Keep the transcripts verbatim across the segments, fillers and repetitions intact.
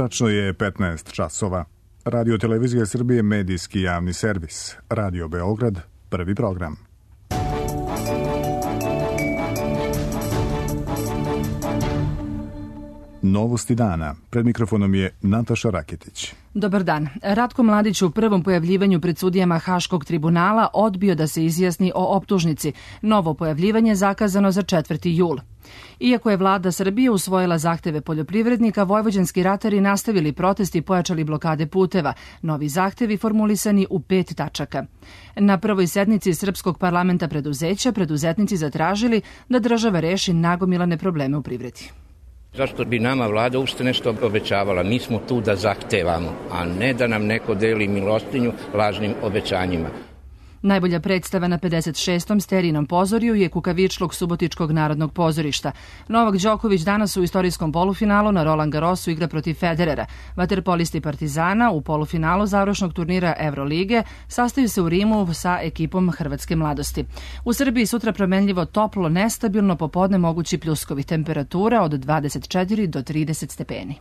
Tačno je petnaest časova. Radio Televizija Srbije, medijski javni servis. Radio Beograd, prvi program. Novosti dana. Pred mikrofonom je Nataša Raketić. Dobar dan. Ratko Mladić u prvom pojavljivanju pred sudijama Haškog tribunala odbio da se izjasni o optužnici. Novo pojavljivanje zakazano za četvrti jul. Iako je vlada Srbije usvojila zahteve poljoprivrednika, vojvođanski ratari nastavili protest i pojačali blokade puteva. Novi zahtevi formulisani u pet tačaka. Na prvoj sednici Srpskog parlamenta preduzeća preduzetnici zatražili da država reši nagomilane probleme u privredi. Zašto bi nama vlada uopšte nešto obećavala? Mi smo tu da zahtevamo, a ne da nam neko deli milostinju lažnim obećanjima. Najbolja predstava na pedeset šestom Sterinom pozorju je Kukavičluk Subotičkog narodnog pozorišta. Novak Đoković danas u istorijskom polufinalu na Roland Garrosu igra protiv Federera. Vaterpolisti Partizana u polufinalu završnog turnira Evrolige sastaju se u Rimu sa ekipom Hrvatske mladosti. U Srbiji sutra promenljivo toplo, nestabilno, popodne mogući pljuskovi, temperatura od dvadeset četiri do trideset stepeni.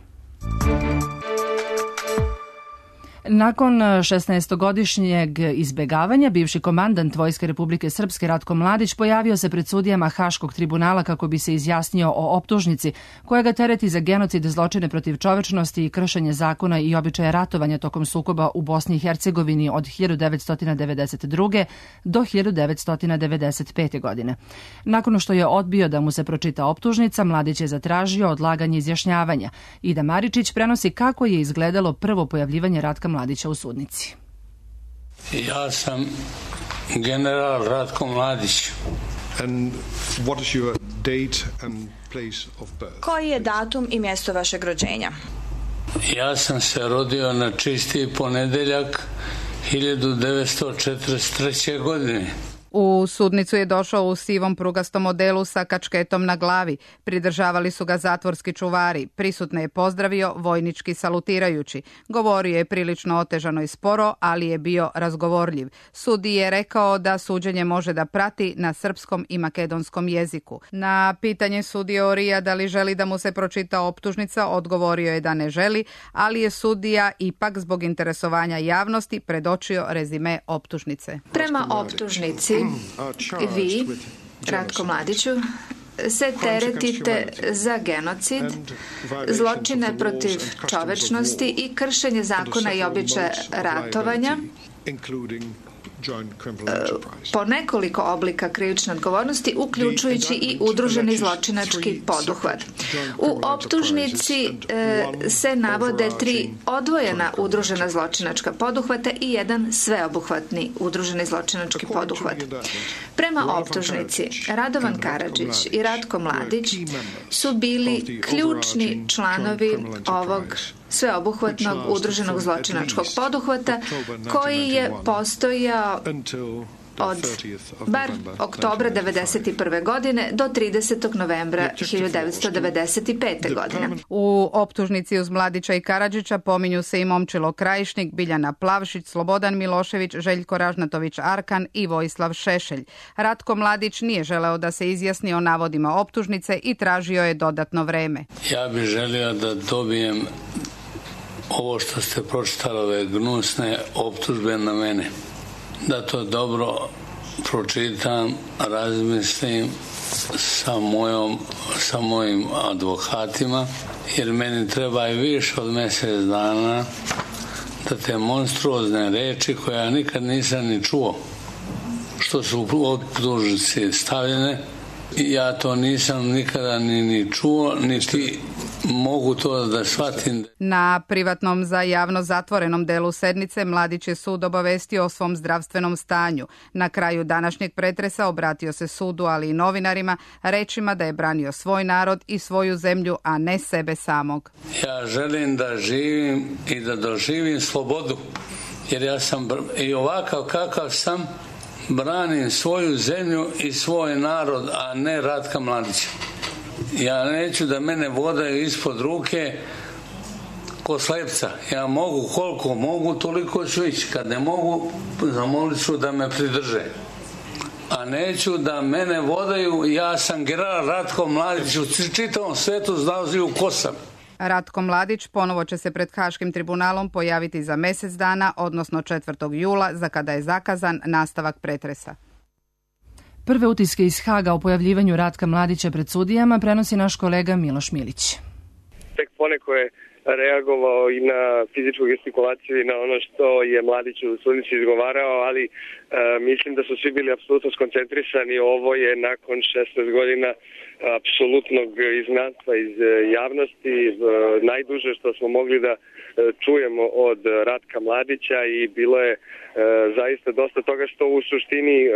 Nakon šesnaestogodišnjeg izbegavanja, bivši komandant Vojske Republike Srpske Ratko Mladić pojavio se pred sudijama Haškog tribunala kako bi se izjasnio o optužnici koja ga tereti za genocid, zločine protiv čovečnosti i kršenje zakona i običaja ratovanja tokom sukoba u Bosni i Hercegovini od hiljadu devetsto devedeset druge. do hiljadu devetsto devedeset pete. godine. Nakon što je odbio da mu se pročita optužnica, Mladić je zatražio odlaganje izjašnjavanja. Ida Maričić prenosi kako je izgledalo prvo pojavljivanje Ratka Mladića u sudnici. Ja sam general Ratko Mladić. And what is your date and place of birth? Koji je datum i mjesto vašeg rođenja? Ja sam se rodio na čisti ponedeljak hiljadu devetsto četrdeset treće. godine. U sudnicu je došao u sivom prugastom modelu sa kačketom na glavi. Pridržavali su ga zatvorski čuvari. Prisutne je pozdravio vojnički salutirajući. Govorio je prilično otežano i sporo, ali je bio razgovorljiv. Sudi je rekao da suđenje može da prati na srpskom i makedonskom jeziku. Na pitanje sudije Orija da li želi da mu se pročita optužnica, odgovorio je da ne želi, ali je sudija ipak zbog interesovanja javnosti predočio rezime optužnice. Prema optužnici vi, Ratko Mladiću, se teretite za genocid, zločine protiv čovečnosti i kršenje zakona i običaja ratovanja, po nekoliko oblika krivične odgovornosti, uključujući i udruženi zločinački poduhvat. U optužnici e, se navode tri odvojena udružena zločinačka poduhvata i jedan sveobuhvatni udruženi zločinački poduhvat. Prema optužnici, Radovan Karadžić i Ratko Mladić su bili ključni članovi ovog sveobuhvatnog udruženog zločinačkog poduhvata koji je postojao od bar oktobra devedeset prve. godine do tridesetog novembra hiljadu devetsto devedeset pete. godine. U optužnici uz Mladića i Karadžića pominju se i Momčilo Krajišnik, Biljana Plavšić, Slobodan Milošević, Željko Ražnatović Arkan i Vojislav Šešelj. Ratko Mladić nije želeo da se izjasni o navodima optužnice i tražio je dodatno vreme. Ja bih želio da dobijem ovo što ste pročitali, ove gnusne optužbe na mene. Da to dobro pročitam, razmislim sa, mojom, sa mojim advokatima, jer meni treba i više od mjesec dana da te monstruozne reči koje ja nikad nisam ni čuo, što su u optužnici stavljene, ja to nisam nikada ni, ni čuo, niti mogu to da shvatim. Na privatnom za javno zatvorenom delu sednice Mladić je sud obavestio o svom zdravstvenom stanju. Na kraju današnjeg pretresa obratio se sudu, ali i novinarima, rečima da je branio svoj narod i svoju zemlju, a ne sebe samog. Ja želim da živim i da doživim slobodu, jer ja sam i ovakav kakav sam, branim svoju zemlju i svoj narod, a ne Ratka Mladića. Ja neću da mene vodaju ispod ruke ko slepca. Ja mogu koliko mogu, toliko ću ići. Kad ne mogu, zamolit ću da me pridrže. A neću da mene vodaju, ja sam general Ratko Mladić, u čitavom svetu znao ko sam. Ratko Mladić ponovo će se pred Haškim tribunalom pojaviti za mjesec dana, odnosno četvrtog jula, za kada je zakazan nastavak pretresa. Prve utiske iz Haga o pojavljivanju Ratka Mladića pred sudijama prenosi naš kolega Miloš Milić. Tek poneko je reagovao i na fizičku gestikulaciju i na ono što je Mladić u sudnici izgovarao, ali e, mislim da su svi bili apsolutno skoncentrisani. Ovo je nakon šesnaest godina apsolutnog izgnanstva iz javnosti, e, najduže što smo mogli da e, čujemo od Ratka Mladića i bilo je e, zaista dosta toga što u suštini e,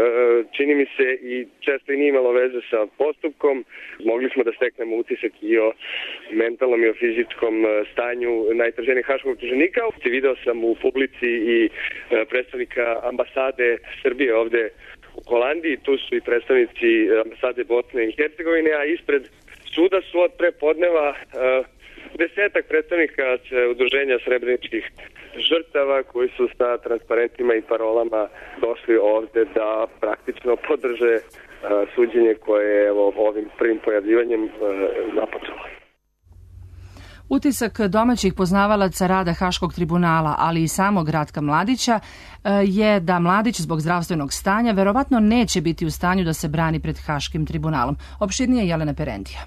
čini mi se i često i nije imalo veze sa postupkom. Mogli smo da steknemo utisak i o mentalnom i o fizičkom stanju najtraženijeg haškog optuženika. Video sam u publici i predstavnika ambasade Srbije ovde u Holandiji, tu su i predstavnici ambasade Bosne i Hercegovine, a ispred suda su od prepodneva desetak predstavnika udruženja srebreničkih žrtava koji su sa transparentima i parolama došli ovde da praktično podrže suđenje koje je evo, ovim prvim pojavljivanjem započelo. Utisak domaćih poznavalaca rada Haškog tribunala, ali i samog Ratka Mladića, je da Mladić zbog zdravstvenog stanja verovatno neće biti u stanju da se brani pred Haškim tribunalom. Opširnije Jelena Perendija.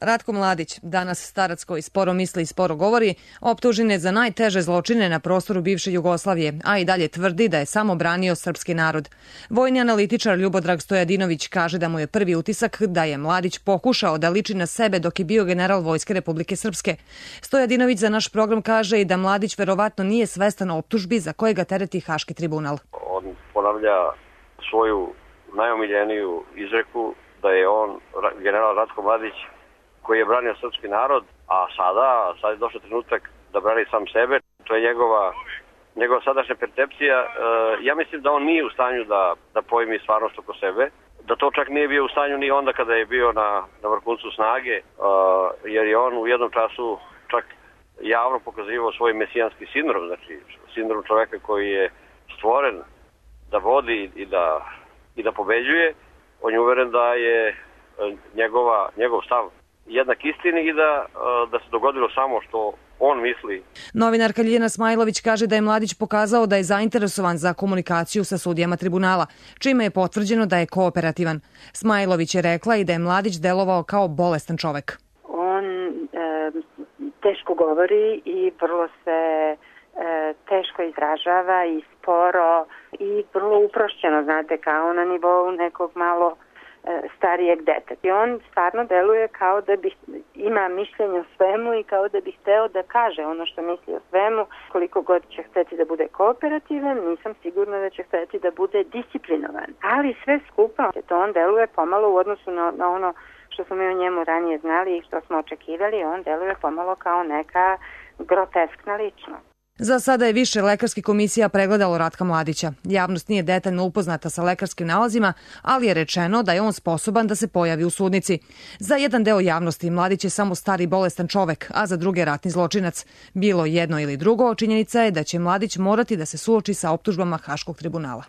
Ratko Mladić, danas starac koji sporo misli i sporo govori, optužen je za najteže zločine na prostoru bivše Jugoslavije, a i dalje tvrdi da je samo branio srpski narod. Vojni analitičar Ljubodrag Stojadinović kaže da mu je prvi utisak da je Mladić pokušao da liči na sebe dok je bio general Vojske Republike Srpske. Stojadinović za naš program kaže i da Mladić verovatno nije svestan optužbi za koje ga tereti Haški tribunal. On ponavlja svoju najomiljeniju izreku da je on, general Ratko Mladić, koji je branio srpski narod, a sada, sad je došao trenutak da brani sam sebe. To je njegova, njegova sadašnja percepcija. E, ja mislim da on nije u stanju da, da pojmi stvarnost oko sebe, da to čak nije bio u stanju ni onda kada je bio na, na vrhuncu snage, e, jer je on u jednom času čak javno pokazivao svoj mesijanski sindrom, znači sindrom čoveka koji je stvoren da vodi i da, i da pobeđuje. On je uveren da je njegova, njegov stav jednak istini i da, da se dogodilo samo što on misli. Novinarka Ljiljana Smajlović kaže da je Mladić pokazao da je zainteresovan za komunikaciju sa sudijama tribunala, čime je potvrđeno da je kooperativan. Smajlović je rekla i da je Mladić delovao kao bolestan čovek. On e, teško govori i vrlo se e, teško izražava i sporo i vrlo uprošćeno, znate, kao na nivou nekog malo starijeg deteta. I on stvarno deluje kao da bi ima mišljenje o svemu i kao da bi hteo da kaže ono što misli o svemu. Koliko god će hteti da bude kooperativan, nisam sigurna da će hteti da bude disciplinovan. Ali sve skupa, to on deluje pomalo u odnosu na, na ono što smo mi o njemu ranije znali i što smo očekivali, on deluje pomalo kao neka groteskna ličnost. Za sada je više lekarskih komisija pregledalo Ratka Mladića. Javnost nije detaljno upoznata sa lekarskim nalazima, ali je rečeno da je on sposoban da se pojavi u sudnici. Za jedan deo javnosti Mladić je samo stari bolestan čovek, a za druge ratni zločinac. Bilo jedno ili drugo, činjenica je da će Mladić morati da se suoči sa optužbama Haškog tribunala.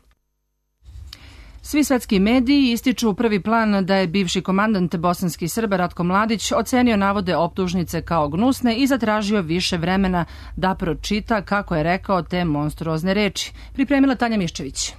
Svi svetski mediji ističu prvi plan da je bivši komandant bosanskih Srba Ratko Mladić ocenio navode optužnice kao gnusne i zatražio više vremena da pročita, kako je rekao, te monstruozne reči. Pripremila Tanja Miščević.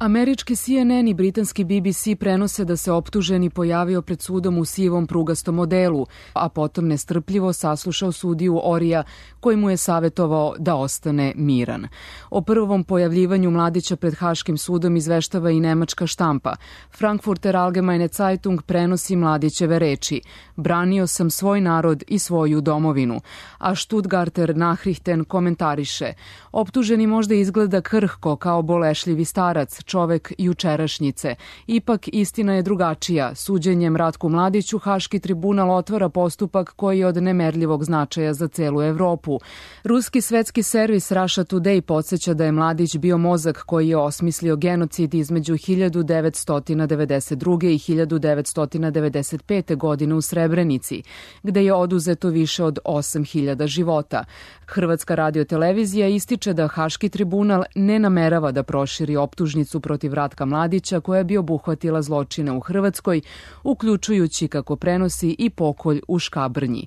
Američki C N N i britanski B B C prenose da se optuženi pojavio pred sudom u sivom prugastom modelu, a potom nestrpljivo saslušao sudiju Orija koji mu je savjetovao da ostane miran. O prvom pojavljivanju Mladića pred Haškim sudom izveštava i nemačka štampa. Frankfurter Allgemeine Zeitung prenosi Mladićeve reči: branio sam svoj narod i svoju domovinu, a Stuttgarter Nachrichten komentariše: optuženi možda izgleda krhko kao bolešljivi starac, čovek jučerašnjice. Ipak istina je drugačija. Suđenjem Ratku Mladiću Haški tribunal otvara postupak koji je od nemerljivog značaja za celu Evropu. Ruski svetski servis Russia Today podsjeća da je Mladić bio mozak koji je osmislio genocid između hiljadu devetsto devedeset druge. i hiljadu devetsto devedeset pete. godine u Srebrenici, gde je oduzeto više od osam hiljada života. Hrvatska radiotelevizija ističe da Haški tribunal ne namerava da proširi optužnicu protiv Ratka Mladića koja bi obuhvatila zločine u Hrvatskoj, uključujući, kako prenosi, i pokolj u Škabrnji.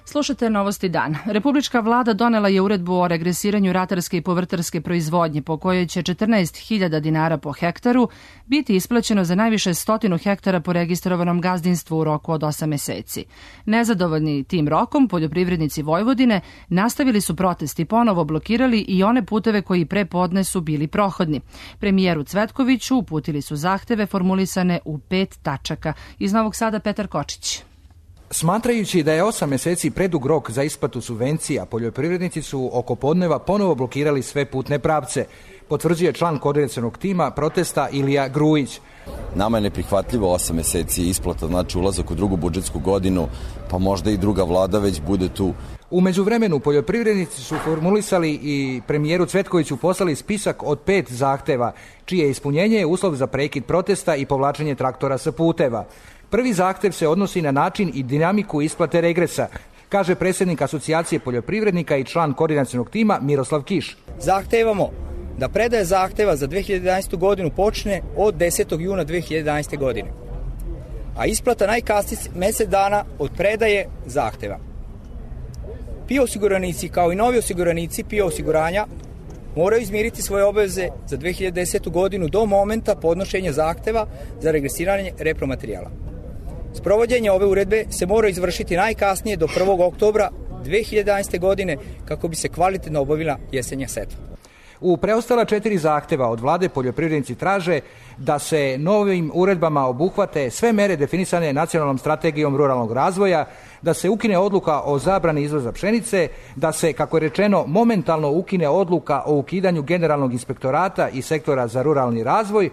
Slušajte Novosti dan. Republička vlada donela je uredbu o regresiranju ratarske i povrtarske proizvodnje po kojoj će četrnaest hiljada dinara po hektaru biti isplaćeno za najviše stotinu hektara po registrovanom gazdinstvu u roku od osam meseci. Nezadovoljni tim rokom, poljoprivrednici Vojvodine nastavili su protest i ponovo blokirali i one puteve koji pre podne su bili prohodni. Premijeru Cvetkoviću uputili su zahteve formulisane u pet tačaka. Iz Novog Sada Petar Kočić. Smatrajući da je osam meseci predug rok za isplatu subvencija, poljoprivrednici su oko podneva ponovo blokirali sve putne pravce, potvrđuje član koordinacionog tima protesta Ilija Grujić. Nama je neprihvatljivo osam meseci isplata, znači ulazak u drugu budžetsku godinu, pa možda i druga vlada već bude tu. U međuvremenu poljoprivrednici su formulisali i premijeru Cvetkoviću poslali spisak od pet zahteva, čije ispunjenje je uslov za prekid protesta i povlačenje traktora sa puteva. Prvi zahtev se odnosi na način i dinamiku isplate regresa, kaže predsjednik Asocijacije poljoprivrednika i član koordinacionog tima Miroslav Kiš. Zahtevamo da predaje zahteva za dve hiljade jedanaestu godinu počne od desetog juna dve hiljade jedanaeste godine, a isplata najkasnije mesec dana od predaje zahteva. P I O osiguranici kao i novi osiguranici P I O osiguranja moraju izmiriti svoje obaveze za dve hiljade desetu godinu do momenta podnošenja zahteva za regresiranje repromaterijala. Sprovođenje ove uredbe se mora izvršiti najkasnije do prvog oktobra dve hiljade jedanaeste godine kako bi se kvalitetno obavila jesenja setva. U preostala četiri zahteva od vlade poljoprivrednici traže da se novim uredbama obuhvate sve mere definisane nacionalnom strategijom ruralnog razvoja, da se ukine odluka o zabrani izvoza pšenice, da se, kako je rečeno, momentalno ukine odluka o ukidanju generalnog inspektorata i sektora za ruralni razvoj,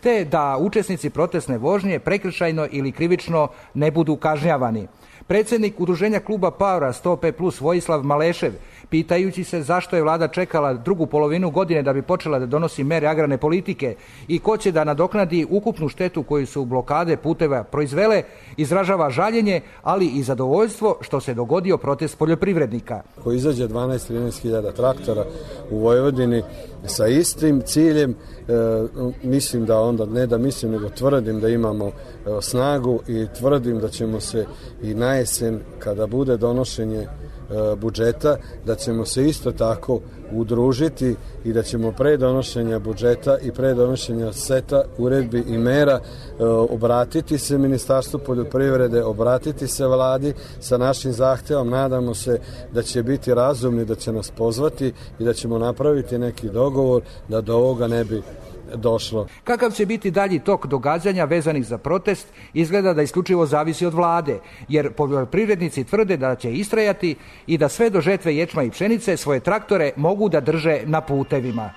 te da učesnici protestne vožnje prekršajno ili krivično ne budu kažnjavani. Predsjednik udruženja kluba Paura sto pet plus Vojislav Malešev, pitajući se zašto je vlada čekala drugu polovinu godine da bi počela da donosi mere agrarne politike i ko će da nadoknadi ukupnu štetu koju su blokade puteva proizvele, izražava žaljenje, ali i zadovoljstvo što se dogodio protest poljoprivrednika. Ko izađe dvanaest do trinaest hiljada traktora u Vojvodini sa istim ciljem, e, mislim da onda, ne da mislim, nego tvrdim da imamo e, snagu i tvrdim da ćemo se i na jesen, kada bude donošenje e, budžeta, da ćemo se isto tako udružiti i da ćemo pre donošenja budžeta i pre donošenja seta uredbi i mera e, obratiti se Ministarstvu poljoprivrede, obratiti se vladi sa našim zahtevom. Nadamo se da će biti razumni, da će nas pozvati i da ćemo napraviti neki dogovor da do ovoga ne bi došlo. Kakav će biti dalji tok događanja vezanih za protest, izgleda da isključivo zavisi od vlade, jer poljoprivrednici tvrde da će istrajati i da sve do žetve ječma i pšenice svoje traktore mogu da drže na putevima.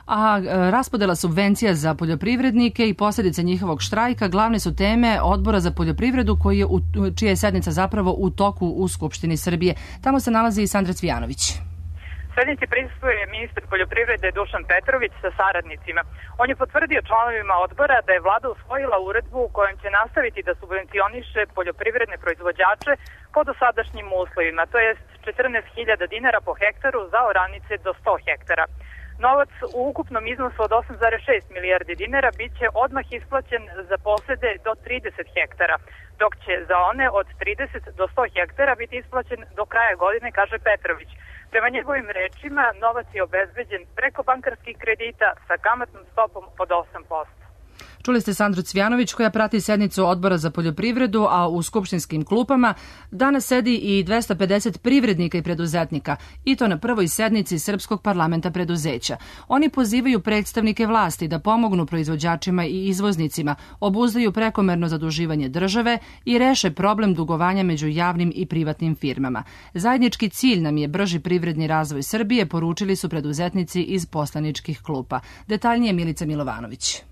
A raspodela subvencija za poljoprivrednike i posljedice njihovog štrajka glavne su teme Odbora za poljoprivredu koji je u, čija je sednica zapravo u toku u Skupštini Srbije. Tamo se nalazi i Sandra Cvijanović. Sednici prisustvuje ministar poljoprivrede Dušan Petrović sa saradnicima. On je potvrdio članovima odbora da je vlada usvojila uredbu kojom će nastaviti da subvencioniše poljoprivredne proizvođače po dosadašnjim uslovima, to jest četrnaest hiljada dinara po hektaru za oranice do sto hektara. Novac u ukupnom iznosu od osam zarez šest milijardi dinara bit će odmah isplaćen za posede do trideset hektara, dok će za one od trideset do sto hektara biti isplaćen do kraja godine, kaže Petrović. Prema njegovim rečima, novac je obezbeđen preko bankarskih kredita sa kamatnom stopom od osam posto. Čuli ste Sandru Cvijanović koja prati sednicu Odbora za poljoprivredu, a u skupštinskim klupama danas sedi i dvesta pedeset privrednika i preduzetnika, i to na prvoj sednici Srpskog parlamenta preduzeća. Oni pozivaju predstavnike vlasti da pomognu proizvođačima i izvoznicima, obuzdaju prekomerno zaduživanje države i reše problem dugovanja među javnim i privatnim firmama. Zajednički cilj nam je brži privredni razvoj Srbije, poručili su preduzetnici iz poslaničkih klupa. Detaljnije Milica Milovanović.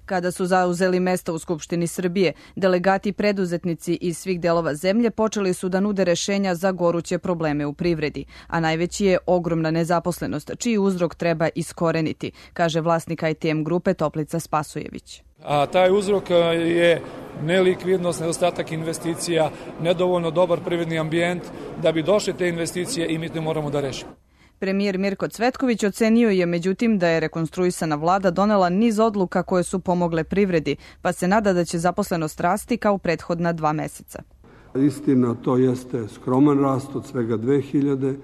Kada su zauzeli mesta u Skupštini Srbije, delegati i preduzetnici iz svih delova zemlje počeli su da nude rešenja za goruće probleme u privredi, a najveći je ogromna nezaposlenost, čiji uzrok treba iskoreniti, kaže vlasnik I T M grupe Toplica Spasojević. A taj uzrok je nelikvidnost, nedostatak investicija, nedovoljno dobar privredni ambijent. Da bi došle te investicije i mi to moramo da rešimo. Premijer Mirko Cvetković ocenio je međutim da je rekonstruisana vlada donela niz odluka koje su pomogle privredi, pa se nada da će zaposlenost rasti kao prethodna dva meseca. Istina, to jeste skroman rast od svega dve hiljade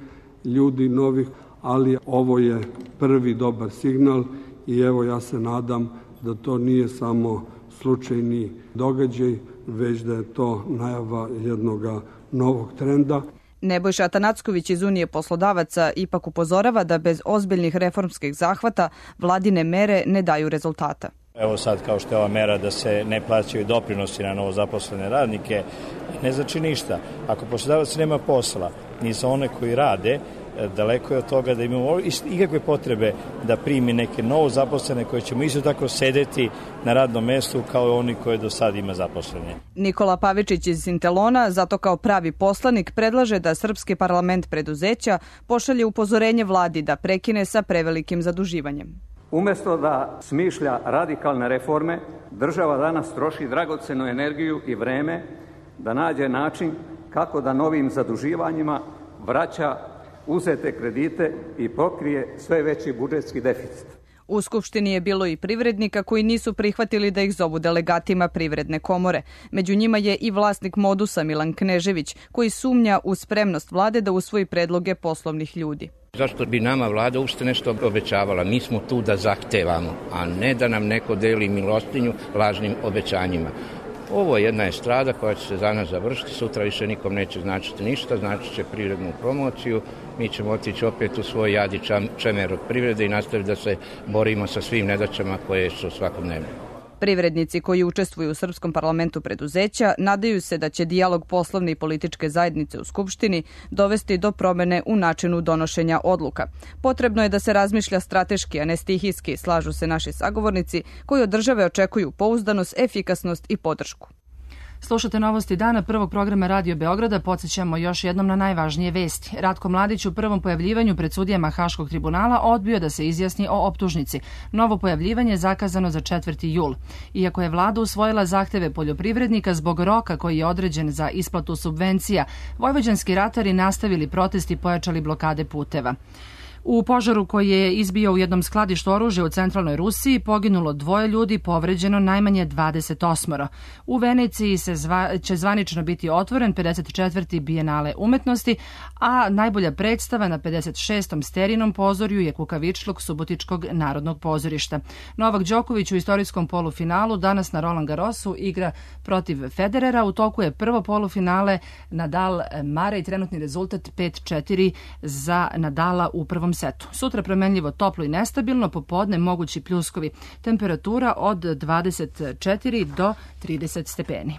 ljudi novih, ali ovo je prvi dobar signal i evo ja se nadam da to nije samo slučajni događaj, već da je to najava jednog novog trenda. Nebojša Atanacković iz Unije poslodavaca ipak upozorava da bez ozbiljnih reformskih zahvata vladine mere ne daju rezultata. Evo sad kao što je ova mera da se ne plaćaju doprinosi na novozaposlene radnike, ne znači ništa. Ako poslodavac nema posla, ni za one koji rade, daleko je od toga da imamo ikakve potrebe da primi neke novo zaposlene koje ćemo isto tako sedeti na radnom mestu kao oni koje do sad ima zaposlene. Nikola Pavičić iz Sintelona, zato kao pravi poslanik, predlaže da Srpski parlament preduzeća pošalje upozorenje vladi da prekine sa prevelikim zaduživanjem. Umesto da smišlja radikalne reforme, država danas troši dragocenu energiju i vreme da nađe način kako da novim zaduživanjima vraća uzete kredite i pokrije sve veći budžetski deficit. U Skupštini je bilo i privrednika koji nisu prihvatili da ih zovu delegatima Privredne komore. Među njima je i vlasnik Modusa Milan Knežević, koji sumnja u spremnost vlade da usvoji predloge poslovnih ljudi. Zašto bi nama vlada uopšte nešto obećavala? Mi smo tu da zahtevamo, a ne da nam neko deli milostinju lažnim obećanjima. Ovo je jedna estrada koja će se za nas završiti, sutra više nikom neće značiti ništa, znači će privrednu promociju, mi ćemo otići opet u svoj jadi čemer od privrede i nastaviti da se borimo sa svim nedaćama koje su svakodnevne. Privrednici koji učestvuju u Srpskom parlamentu preduzeća nadaju se da će dijalog poslovne i političke zajednice u Skupštini dovesti do promene u načinu donošenja odluka. Potrebno je da se razmišlja strateški, a ne stihijski, slažu se naši sagovornici koji od države očekuju pouzdanost, efikasnost i podršku. Slušate novosti dana prvog programa Radio Beograda. Podsjećamo još jednom na najvažnije vesti. Ratko Mladić u prvom pojavljivanju pred sudijama Haškog tribunala odbio da se izjasni o optužnici. Novo pojavljivanje je zakazano za četvrti jul. Iako je vlada usvojila zahteve poljoprivrednika zbog roka koji je određen za isplatu subvencija, vojvođanski ratari nastavili protest i pojačali blokade puteva. U požaru koji je izbio u jednom skladištu oružja u centralnoj Rusiji poginulo dvoje ljudi, povređeno najmanje dvadeset osam. U Veneciji se zva, će zvanično biti otvoren pedeset četvrti bijenale umetnosti, a najbolja predstava na pedeset šestom sterinom pozorju je Kukavičluk Subotičkog narodnog pozorišta. Novak Đoković u istorijskom polufinalu danas na Roland Garrosu igra protiv Federera. U toku je prvo polufinale Nadal Mare i trenutni rezultat pet četiri za Nadala u prvom setu. Sutra promenljivo toplo i nestabilno, popodne mogući pljuskovi. Temperatura od dvadeset četiri do trideset stepeni.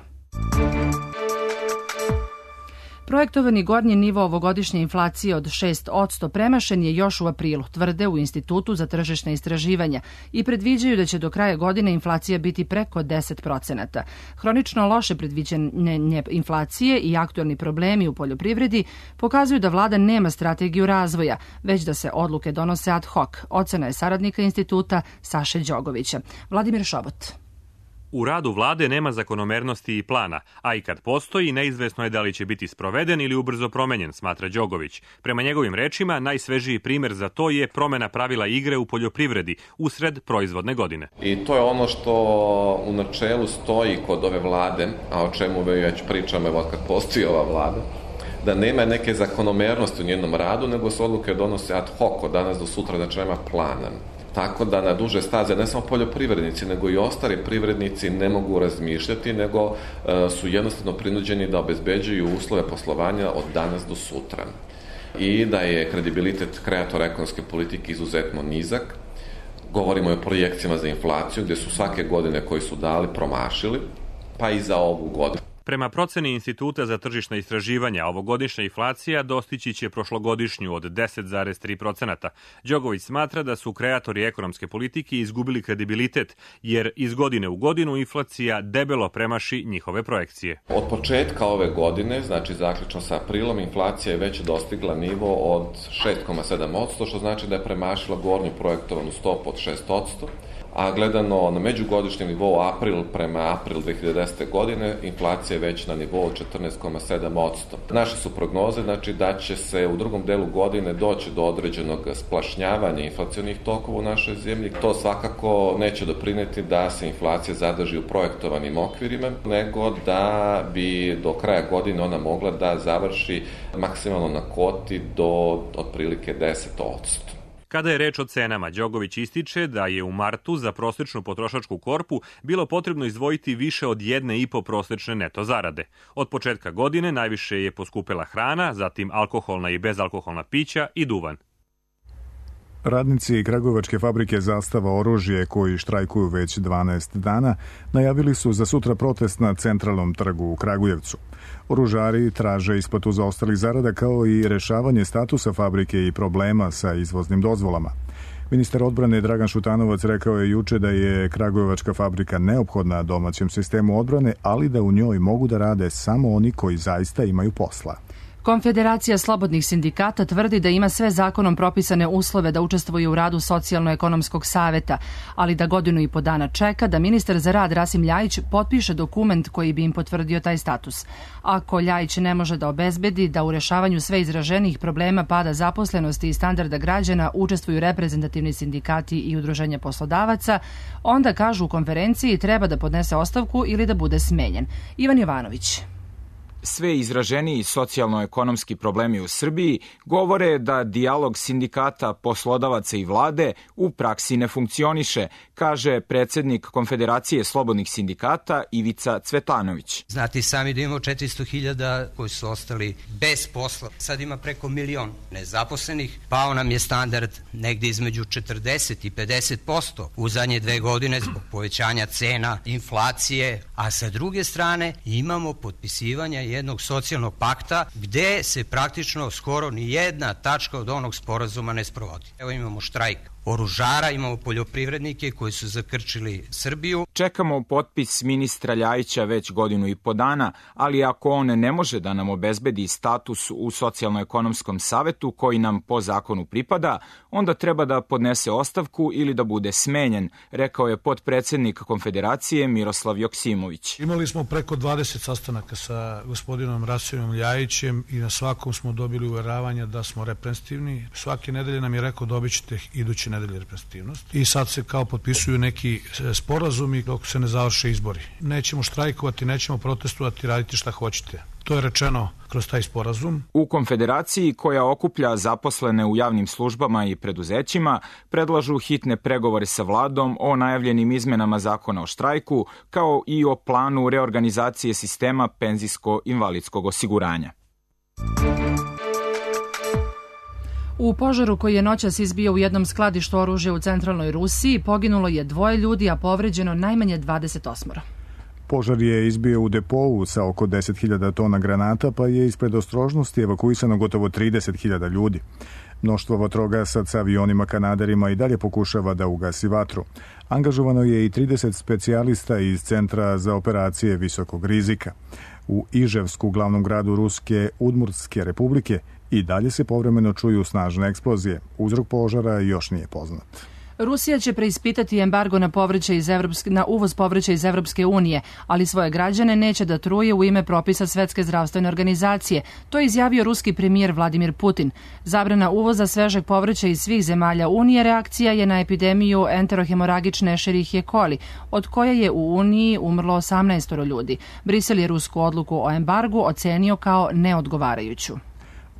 Projektovani gornji nivo ovogodišnje inflacije od šest posto premašen je još u aprilu, tvrde u Institutu za tržišne istraživanja i predviđaju da će do kraja godine inflacija biti preko deset procenata. Hronično loše predviđanje inflacije i aktualni problemi u poljoprivredi pokazuju da vlada nema strategiju razvoja, već da se odluke donose ad hoc. Ocena je saradnika instituta Saše Đogovića. Vladimir Šobot. U radu vlade nema zakonomernosti i plana, a i kad postoji, neizvesno je da li će biti sproveden ili ubrzo promenjen, smatra Đogović. Prema njegovim rečima, najsvežiji primer za to je promena pravila igre u poljoprivredi usred proizvodne godine. I to je ono što u načelu stoji kod ove vlade, a o čemu već pričamo evo kad postoji ova vlada, da nema neke zakonomernosti u njenom radu, nego se odluke donose ad hoc od danas do sutra, znači nema plana. Tako da na duže staze ne samo poljoprivrednici, nego i ostali privrednici ne mogu razmišljati, nego uh, su jednostavno prinuđeni da obezbeđuju uslove poslovanja od danas do sutra. I da je kredibilitet kreatora ekonomske politike izuzetno nizak. Govorimo o projekcijama za inflaciju, gdje su svake godine koje su dali promašili, pa i za ovu godinu. Prema proceni Instituta za tržišna istraživanja, ovogodišnja inflacija dostići će prošlogodišnju od deset zarez tri procenata. Đogović smatra da su kreatori ekonomske politike izgubili kredibilitet, jer iz godine u godinu inflacija debelo premaši njihove projekcije. Od početka ove godine, znači zaključno sa aprilom, inflacija je već dostigla nivo od šest zarez sedam posto, što znači da je premašila gornju projektovanu stopu od šest posto. a gledano na međugodišnjem nivou april prema april dve hiljade desete. godine, inflacija je već na nivou četrnaest zarez sedam posto. Naše su prognoze znači, da će se u drugom delu godine doći do određenog splašnjavanja inflacionih tokova u našoj zemlji. To svakako neće doprineti da se inflacija zadrži u projektovanim okvirima, nego da bi do kraja godine ona mogla da završi maksimalno na kvoti do otprilike deset posto. Kada je reč o cenama, Đogović ističe da je u martu za prosečnu potrošačku korpu bilo potrebno izdvojiti više od jedne i po prosečne neto zarade. Od početka godine najviše je poskupela hrana, zatim alkoholna i bezalkoholna pića i duvan. Radnici Kragujevačke fabrike Zastava oružje, koji štrajkuju već dvanaest dana, najavili su za sutra protest na Centralnom trgu u Kragujevcu. Oružari traže isplatu zaostalih zarada kao i rešavanje statusa fabrike i problema sa izvoznim dozvolama. Ministar odbrane Dragan Šutanovac rekao je juče da je Kragujevačka fabrika neophodna domaćem sistemu odbrane, ali da u njoj mogu da rade samo oni koji zaista imaju posla. Konfederacija slobodnih sindikata tvrdi da ima sve zakonom propisane uslove da učestvuje u radu Socijalno-ekonomskog saveta, ali da godinu i po dana čeka da ministar za rad Rasim Ljajić potpiše dokument koji bi im potvrdio taj status. Ako Ljajić ne može da obezbedi da u rešavanju sve izraženijih problema pada zaposlenosti i standarda građana učestvuju reprezentativni sindikati i udruženja poslodavaca, onda, kažu u konferenciji, treba da podnese ostavku ili da bude smenjen. Ivan Jovanović. Sve izraženiji socijalno-ekonomski problemi u Srbiji govore da dijalog sindikata, poslodavaca i vlade u praksi ne funkcioniše, kaže predsednik Konfederacije slobodnih sindikata Ivica Cvetanović. Znate sami da imamo četiristo hiljada koji su ostali bez posla. Sad ima preko milion nezaposlenih. Pao nam je standard negde između četrdeset i pedeset posto u zadnje dve godine zbog povećanja cena, inflacije, a sa druge strane imamo potpisivanje jednog socijalnog pakta gde se praktično skoro ni jedna tačka od onog sporazuma ne sprovodi. Evo imamo štrajk oružara, imamo poljoprivrednike koji su zakrčili Srbiju. Čekamo potpis ministra Ljajića već godinu i po dana, ali ako on ne može da nam obezbedi status u Socijalno-ekonomskom savetu koji nam po zakonu pripada, onda treba da podnese ostavku ili da bude smenjen, rekao je potpredsednik Konfederacije Miroslav Joksimović. Imali smo preko dvadeset sastanaka sa gospodinom Rasimom Ljajićem i na svakom smo dobili uveravanja da smo reprezentativni. Svake nedelje nam je rekao dobit ćete idući nedelje reprezentativnost i sad se kao potpisuju neki sporazumi dok se ne završe izbori. Nećemo štrajkovati, nećemo protestovati, raditi šta hoćete. To je rečeno kroz taj sporazum. U Konfederaciji, koja okuplja zaposlene u javnim službama i preduzećima, predlažu hitne pregovore sa vladom o najavljenim izmenama zakona o štrajku, kao i o planu reorganizacije sistema penzijsko-invalidskog osiguranja. U požaru koji je noćas izbio u jednom skladištu oružja u centralnoj Rusiji poginulo je dvoje ljudi, a povređeno najmanje dvadeset osam. Požar je izbio u depou sa oko deset hiljada tona granata, pa je ispred ostrožnosti evakuisano gotovo trideset hiljada ljudi. Mnoštvo vatrogasaca sa avionima kanaderima i dalje pokušava da ugasi vatru. Angažovano je i trideset specijalista iz Centra za operacije visokog rizika. U Iževsku, glavnom gradu Ruske Udmurtske republike, i dalje se povremeno čuju snažne eksplozije. Uzrok požara još nije poznat. Rusija će preispitati embargo na, povrće iz Evropske, na uvoz povrća iz Evropske unije, ali svoje građane neće da truje u ime propisa Svetske zdravstvene organizacije. To je izjavio ruski premijer Vladimir Putin. Zabrana uvoza svežeg povrća iz svih zemalja Unije reakcija je na epidemiju enterohemoragične Escherichie coli, od koje je u Uniji umrlo osamnaest ljudi. Brisel je rusku odluku o embargu ocenio kao neodgovarajuću.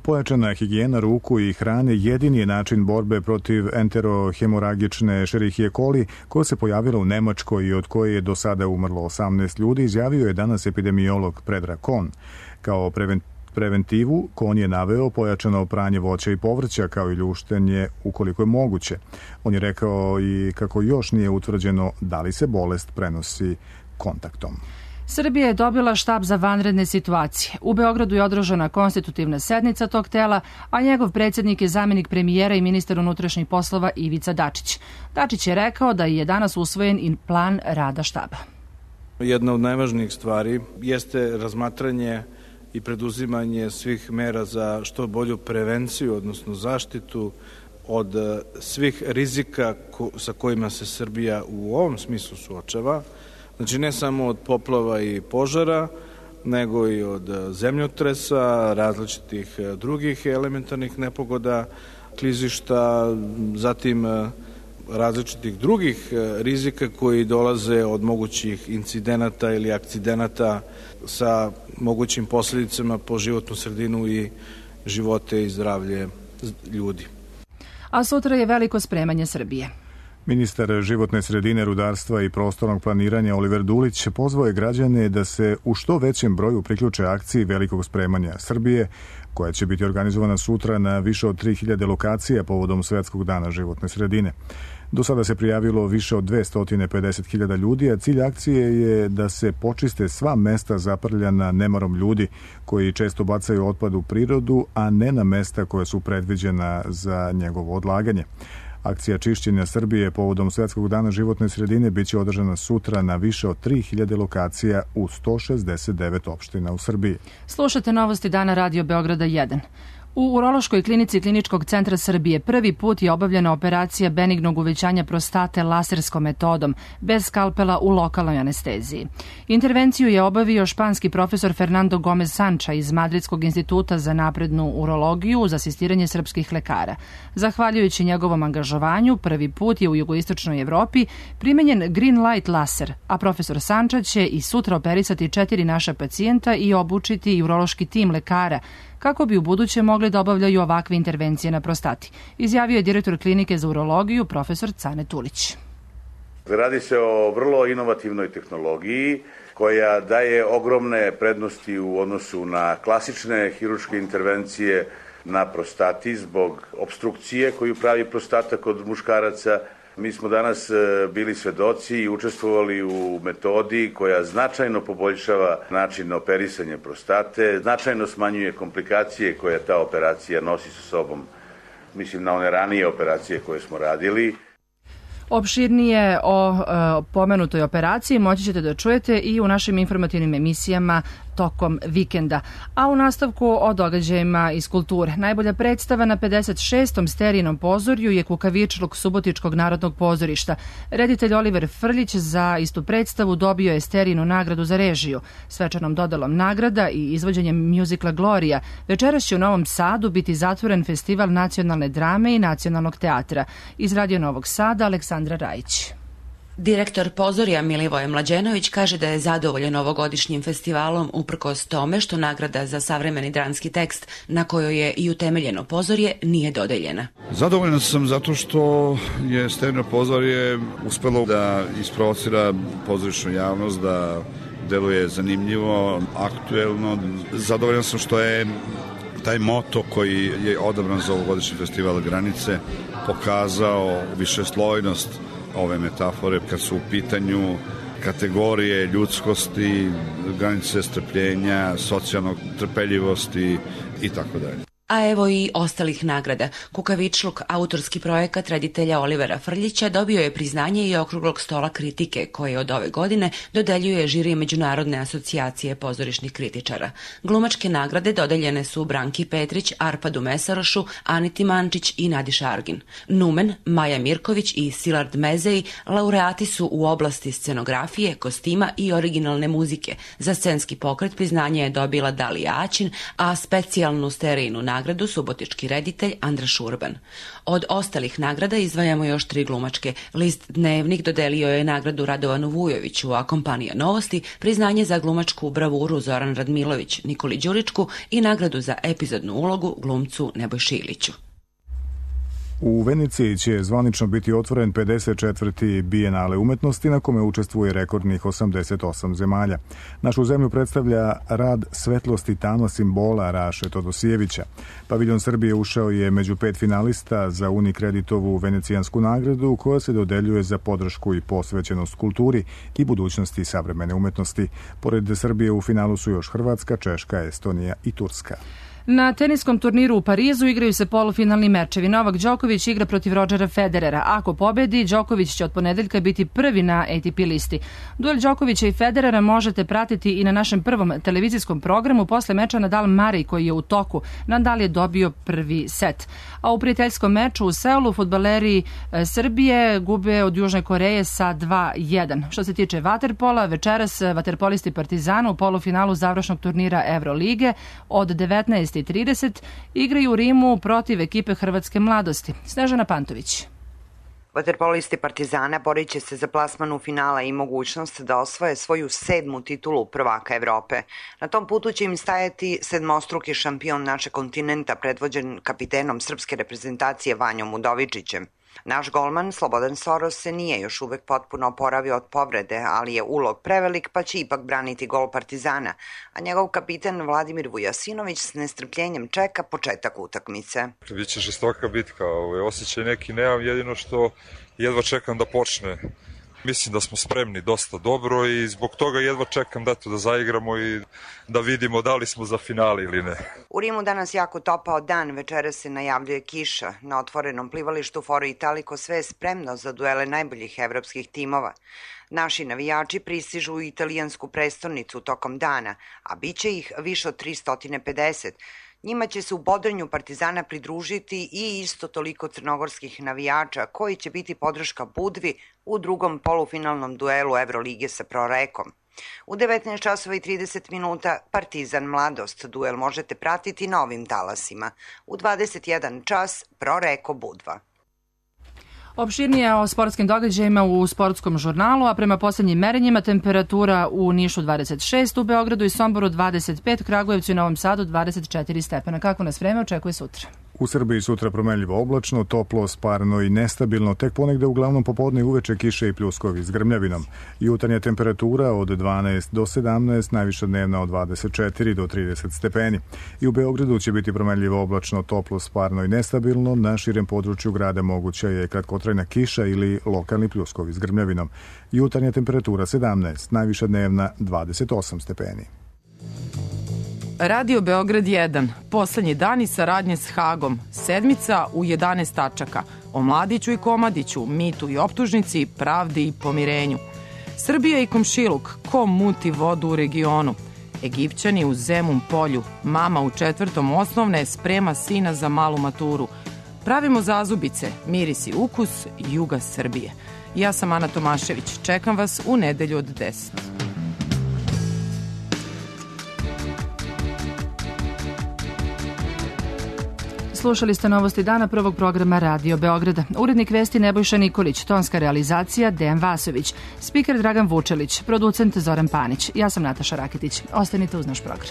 Pojačana higijena ruku i hrane jedini je način borbe protiv enterohemoragične Escherichie coli, koja se pojavila u Nemačkoj i od koje je do sada umrlo osamnaest ljudi, izjavio je danas epidemiolog Predrag Kon. Kao preventivu Kon je naveo pojačano pranje voća i povrća, kao i ljuštenje ukoliko je moguće. On je rekao i kako još nije utvrđeno da li se bolest prenosi kontaktom. Srbija je dobila štab za vanredne situacije. U Beogradu je održana konstitutivna sednica tog tela, a njegov predsjednik je zamenik premijera i ministar unutrašnjih poslova Ivica Dačić. Dačić je rekao da je danas usvojen i plan rada štaba. Jedna od najvažnijih stvari jeste razmatranje i preduzimanje svih mera za što bolju prevenciju, odnosno zaštitu od svih rizika sa kojima se Srbija u ovom smislu suočava, znači ne samo od poplava i požara, nego i od zemljotresa, različitih drugih elementarnih nepogoda, klizišta, zatim različitih drugih rizika koji dolaze od mogućih incidenata ili akcidenata sa mogućim posljedicama po životnu sredinu i živote i zdravlje ljudi. A sutra je veliko spremanje Srbije. Ministar životne sredine, rudarstva i prostornog planiranja Oliver Dulić pozvao je građane da se u što većem broju priključe akciji velikog spremanja Srbije, koja će biti organizovana sutra na više od tri hiljade lokacija povodom Svetskog dana životne sredine. Do sada se prijavilo više od dvesta pedeset hiljada ljudi, a cilj akcije je da se počiste sva mesta zaprljana nemarom ljudi koji često bacaju otpad u prirodu, a ne na mesta koja su predviđena za njegovo odlaganje. Akcija čišćenja Srbije povodom Svetskog dana životne sredine biće održana sutra na više od tri hiljade lokacija u sto šezdeset devet opština u Srbiji. Slušate novosti dana Radio Beograda jedan. U Urološkoj klinici Kliničkog centra Srbije prvi put je obavljena operacija benignog uvećanja prostate laserskom metodom, bez skalpela u lokalnoj anesteziji. Intervenciju je obavio španski profesor Fernando Gomez Sancha iz Madridskog instituta za naprednu urologiju uz asistiranje srpskih lekara. Zahvaljujući njegovom angažovanju, prvi put je u jugoistočnoj Evropi primenjen green light laser, a profesor Sancha će i sutra operisati četiri naša pacijenta i obučiti i urološki tim lekara, kako bi u buduće mogli da obavljaju ovakve intervencije na prostati, izjavio je direktor klinike za urologiju profesor Cane Tulić. Radi se o vrlo inovativnoj tehnologiji koja daje ogromne prednosti u odnosu na klasične hirurške intervencije na prostati zbog obstrukcije koju pravi prostata kod muškaraca. Mi smo danas bili svedoci i učestvovali u metodi koja značajno poboljšava način operisanja prostate, značajno smanjuje komplikacije koje ta operacija nosi sa sobom. Mislim na one ranije operacije koje smo radili. Opširnije o e, pomenutoj operaciji moći ćete da čujete i u našim informativnim emisijama tokom vikenda. A u nastavku o događajima iz kulture. Najbolja predstava na pedeset šestom Sterijinom pozorju je Kukavičluk Subotičkog narodnog pozorišta. Reditelj Oliver Frljić za istu predstavu dobio je Sterijinu nagradu za režiju. Svečanom dodelom nagrada i izvođenjem mjuzikla Gloria večeras će u Novom Sadu biti zatvoren festival nacionalne drame i nacionalnog teatra. Iz Radio Novog Sada Aleksandra Rajić. Direktor pozorja Milivoje Mlađenović kaže da je zadovoljan ovogodišnjim festivalom uprkos tome što nagrada za savremeni dramski tekst na kojoj je i utemeljeno pozorje nije dodeljena. Zadovoljan sam zato što je Sterijino pozorje uspelo da isprovocira pozorišnu javnost, da deluje zanimljivo, aktuelno. Zadovoljan sam što je taj moto koji je odabran za ovogodišnji festival Granice pokazao višeslojnost ove metafore kad su u pitanju kategorije ljudskosti, granice strpljenja, socijalnog trpeljivosti i tako dalje. A evo i ostalih nagrada. Kukavičluk, autorski projekat reditelja Olivera Frljića, dobio je priznanje i okruglog stola kritike koje od ove godine dodeljuje žiri Međunarodne asocijacije pozorišnih kritičara. Glumačke nagrade dodeljene su Branki Petrić, Arpadu Mesarošu, Aniti Mančić i Nadi Šargin. Numen, Maja Mirković i Silard Mezeji laureati su u oblasti scenografije, kostima i originalne muzike. Za scenski pokret priznanje je dobila Dalija Aćin, a specijalnu Sterijinu nagradu subotički reditelj Andra Šurban. Od ostalih nagrada izdvajamo još tri glumačke. List Dnevnik dodelio je nagradu Radovanu Vujoviću, a kompanija Novosti priznanje za glumačku bravuru Zoran Radmilović, Nikoli Đuričku i nagradu za epizodnu ulogu glumcu Nebojši Iliću. U Veneciji će zvanično biti otvoren pedeset četvrti Bijenale umetnosti na kome učestvuje rekordnih osamdeset osam zemalja. Našu zemlju predstavlja rad Svetlosti tama simbola Raše Todosijevića. Paviljon Srbije ušao je među pet finalista za Unikreditovu venecijansku nagradu koja se dodeljuje za podršku i posvećenost kulturi i budućnosti savremene umetnosti. Pored Srbije u finalu su još Hrvatska, Češka, Estonija i Turska. Na teniskom turniru u Parizu igraju se polufinalni mečevi. Novak Đoković igra protiv Rodgera Federera. Ako pobedi, Đoković će od ponedeljka biti prvi na A T P listi. Duel Đokovića i Federera možete pratiti i na našem prvom televizijskom programu posle meča Nadal-Murray koji je u toku. Nadal je dobio prvi set. A u prijateljskom meču u Seulu fudbaleri Srbije gube od Južne Koreje sa dva jedan. Što se tiče vaterpola, večeras vaterpolisti Partizana u polufinalu završnog turnira Evrolige od devetnaest i trideset igraju u Rimu protiv ekipe Hrvatske mladosti. Snežana Pantović. Vaterpolisti Partizana borit će se za plasman u finala i mogućnost da osvoje svoju sedmu titulu prvaka Evrope. Na tom putu će im stajati sedmostruki šampion našeg kontinenta predvođen kapitenom srpske reprezentacije Vanjom Udovičićem. Naš golman Slobodan Soros se nije još uvek potpuno oporavio od povrede, ali je ulog prevelik pa će ipak braniti gol Partizana, a njegov kapiten Vladimir Vujasinović s nestrpljenjem čeka početak utakmice. Biće žestoka bitka, osjećaj neki nemam, jedino što jedva čekam da počne. Mislim da smo spremni dosta dobro i zbog toga jedva čekam da to da zaigramo i da vidimo da li smo za finale ili ne. U Rimu danas jako topao dan, večera se najavljuje kiša. Na otvorenom plivalištu Foro Italiko sve je spremno za duele najboljih evropskih timova. Naši navijači pristižu u italijansku prestonicu tokom dana, a bit će ih više od tristo pedeset. Njima će se u bodrenju Partizana pridružiti i isto toliko crnogorskih navijača koji će biti podrška Budvi u drugom polufinalnom duelu Evrolige sa Prorekom. U devetnaest časova i trideset minuta Partizan Mladost duel možete pratiti na ovim talasima. U dvadeset jedan čas Proreko Budva. Opširnije o sportskim događajima u sportskom žurnalu, a prema poslednjim merenjima temperatura u Nišu dvadeset šest, u Beogradu i Somboru dvadeset pet, Kragujevcu i Novom Sadu dvadeset četiri stepena. Kako nas vreme očekuje sutra? U Srbiji sutra promenljivo oblačno, toplo, sparno i nestabilno, tek ponegde uglavnom popodne i uveče kiše i pljuskovi s grmljavinom. Jutarnja temperatura od dvanaest do sedamnaest, najviša dnevna od dvadeset četiri do trideset stepeni. I u Beogradu će biti promenljivo oblačno, toplo, sparno i nestabilno, na širem području grada moguća je kratkotrajna kiša ili lokalni pljuskovi s grmljavinom. Jutarnja temperatura sedamnaest, najviša dnevna dvadeset osam stepeni. Radio Beograd jedan, poslednji dani saradnje s Hagom, sedmica u jedanaest tačaka, o Mladiću i Komadiću, mitu i optužnici, pravdi i pomirenju. Srbija i komšiluk, ko muti vodu u regionu. Egipćani u Zemun polju, mama u četvrtom osnovne sprema sina za malu maturu. Pravimo zazubice, miris i ukus juga Srbije. Ja sam Ana Tomašević, čekam vas u nedelju od deset. Slušali ste novosti dana prvog programa Radio Beograda. Urednik vesti Nebojša Nikolić, tonska realizacija Dejan Vasović, spiker Dragan Vučelić, producent Zoran Panić. Ja sam Nataša Raketić. Ostanite uz naš program.